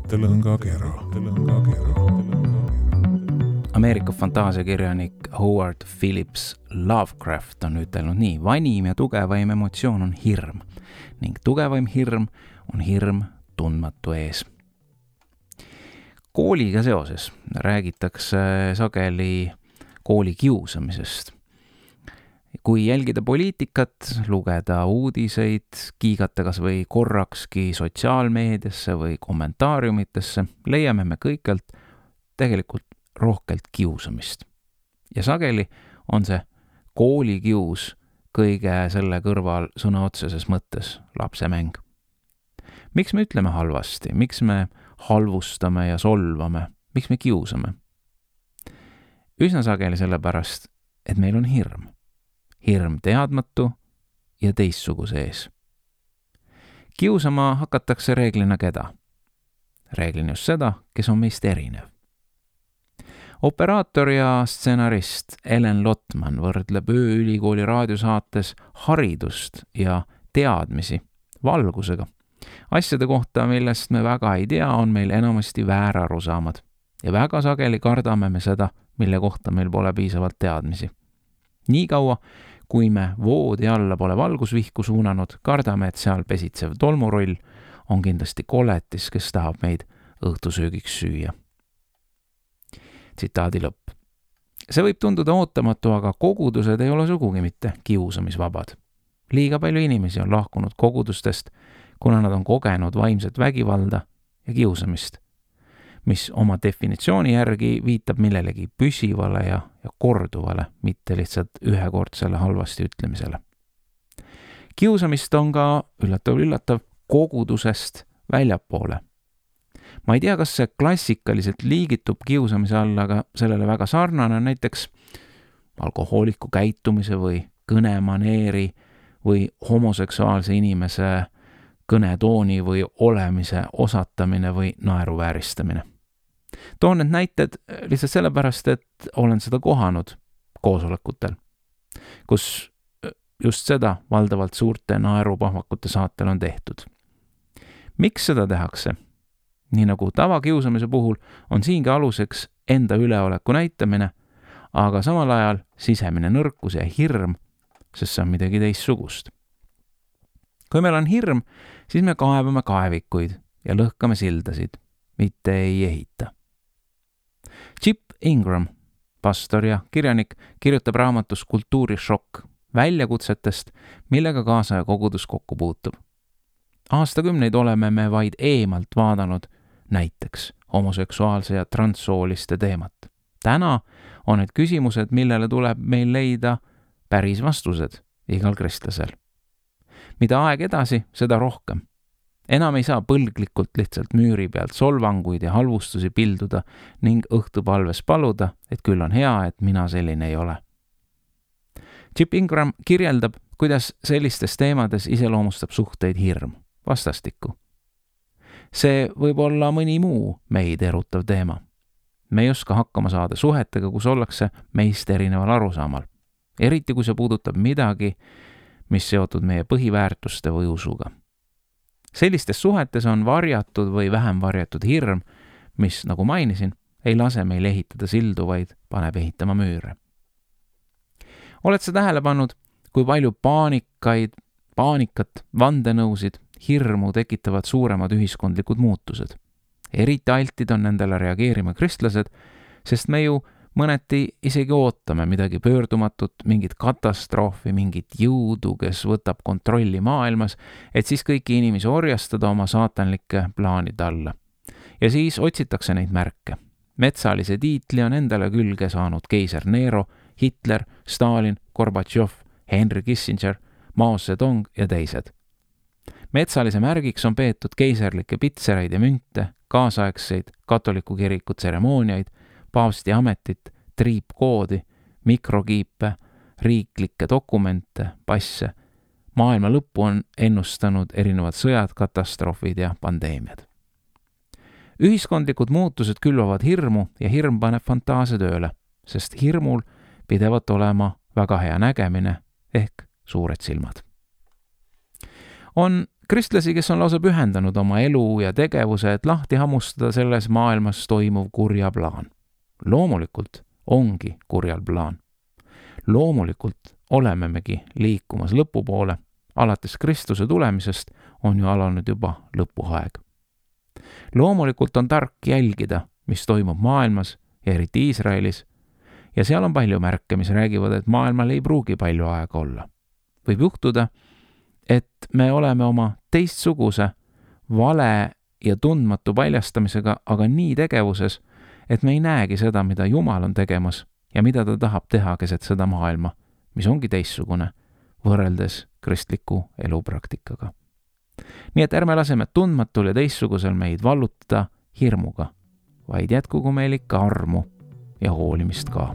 mõttelõngakera. Ameerika fantaasiakirjanik Howard Phillips Lovecraft on ütelnud nii: vanim ja tugevaim emotsioon on hirm ning tugevaim hirm on hirm tundmatu ees. Kooliga seoses räägitakse sageli kooli kiusamisest. Kui jälgida poliitikat, lugeda uudiseid, kiigata kas või korrakski sotsiaalmeediasse või kommentaariumitesse, leiame me kõikjalt tegelikult rohkelt kiusamist. Ja sageli on see koolikius kõige selle kõrval sõna otseses mõttes lapsemäng. Miks me ütleme halvasti? Miks me halvustame ja solvame? Miks me kiusame? Üsna sageli sellepärast, et meil on hirm. Hirm teadmatu ja teistsuguse ees. Kiusama hakatakse reeglina keda? Reeglina just seda, kes on meist erinev. Operaator ja stsenarist Ellen Lotman võrdleb ööülikooli raadiosaates haridust ja teadmisi valgusega. Asjade kohta, millest me väga ei tea, on meil enamasti väärarusaamad. Ja väga sageli kardame me seda, mille kohta meil pole piisavalt teadmisi. Nii kaua, kui me voodi alla pole valgusvihku suunanud, kardame, et seal pesitsev tolmuroll on kindlasti koletis, kes tahab meid õhtusöögiks süüa. Tsitaadi lõpp. See võib tunduda ootamatu, aga kogudused ei ole sugugi mitte kiusamisvabad. Liiga palju inimesi on lahkunud kogudustest, kuna nad on kogenud vaimset vägivalda ja kiusamist, mis oma definitsiooni järgi viitab millelegi püsivale ja korduvale, mitte lihtsalt ühekordsele halvasti ütlemisele. Kiusamist on ka, üllatav, kogudusest väljapoole. Ma ei tea, kas see klassikaliselt liigitub kiusamise alla, aga sellele väga sarnane on näiteks alkohooliku käitumise või kõnemaneeri või homoseksuaalse inimese kõnetooni või olemise osatamine või naeruvääristamine. Toon need näited lihtsalt sellepärast, et olen seda kohanud koosolekutel, kus just seda valdavalt suurte naerupahvakute saatel on tehtud. Miks seda tehakse? Nii nagu tavakiusamise puhul on siingi aluseks enda üleoleku näitamine, aga samal ajal sisemine nõrkus ja hirm, sest see on midagi teistsugust. Kui meil on hirm, siis me kaevame kaevikuid ja lõhkame sildasid, mitte ei ehita. Chip Ingram, pastor ja kirjanik, kirjutab raamatus Kultuurishokk väljakutsetest, millega kaasaja kogudus kokku puutub. Aastakümneid oleme me vaid eemalt vaadanud näiteks homoseksuaalse ja transsooliste teemat. Täna on need küsimused, millele tuleb meil leida päris vastused igal kristlasel. Mida aeg edasi, seda rohkem. Enam ei saa põlglikult lihtsalt müüri pealt solvanguid ja halvustusi pilduda ning õhtupalves paluda, et küll on hea, et mina selline ei ole. Chip Ingram kirjeldab, kuidas sellistes teemades iseloomustab suhteid hirm, vastastikku. See võib olla mõni muu meid erutav teema. Me ei oska hakkama saada suhetega, kus ollakse meist erineval arusaamal. Eriti kui see puudutab midagi, mis seotud meie põhiväärtuste või usuga. Sellistes suhetes on varjatud või vähem varjatud hirm, mis, nagu mainisin, ei lase meil ehitada sildu, vaid paneb ehitama müüre. Oled sa tähele pannud, kui palju paanikat, vandenõusid, hirmu tekitavad suuremad ühiskondlikud muutused? Eriti altid on nendele reageerima kristlased, sest me ju mõneti isegi ootame midagi pöördumatut, mingit katastroofi, mingit jõudu, kes võtab kontrolli maailmas, et siis kõiki inimesi orjastada oma saatanlike plaanide alla. Ja siis otsitakse neid märke. Metsalise tiitli on endale külge saanud keiser Nero, Hitler, Stalin, Gorbatšov, Henry Kissinger, Mao Zedong ja teised. Metsalise märgiks on peetud keiserlikke pitsereid ja münte, kaasaegseid katoliku kiriku tseremooniaid, paavsti ametit, triipkoodi, mikrokiipe, riiklikke dokumente, passe. Maailma lõppu on ennustanud erinevad sõjad, katastroofid ja pandeemiad. Ühiskondlikud muutused külvavad hirmu ja hirm paneb fantaasia tööle, sest hirmul pidevalt olema väga hea nägemine ehk suured silmad. On Kristlasi, kes on lausa pühendanud oma elu ja tegevuse, et lahti hammustada selles maailmas toimuv kurja plaan. Loomulikult ongi kurjal plaan. Loomulikult olemegi liikumas lõpu poole. Alates Kristuse tulemisest on ju alanud juba lõpuaeg. Loomulikult on tark jälgida, mis toimub maailmas ja eriti Iisraelis, ja seal on palju märke, mis räägivad, et maailmal ei pruugi palju aega olla. Võib juhtuda, et me oleme oma teistsuguse, vale ja tundmatu paljastamisega aga nii tegevuses, et me ei näegi seda, mida Jumal on tegemas ja mida ta tahab teha keset seda maailma, mis ongi teistsugune, võrreldes kristliku elupraktikaga. Nii et ärme laseme tundmatul ja teistsugusel meid vallutada hirmuga, vaid jätkugu meil ikka armu ja hoolimist ka.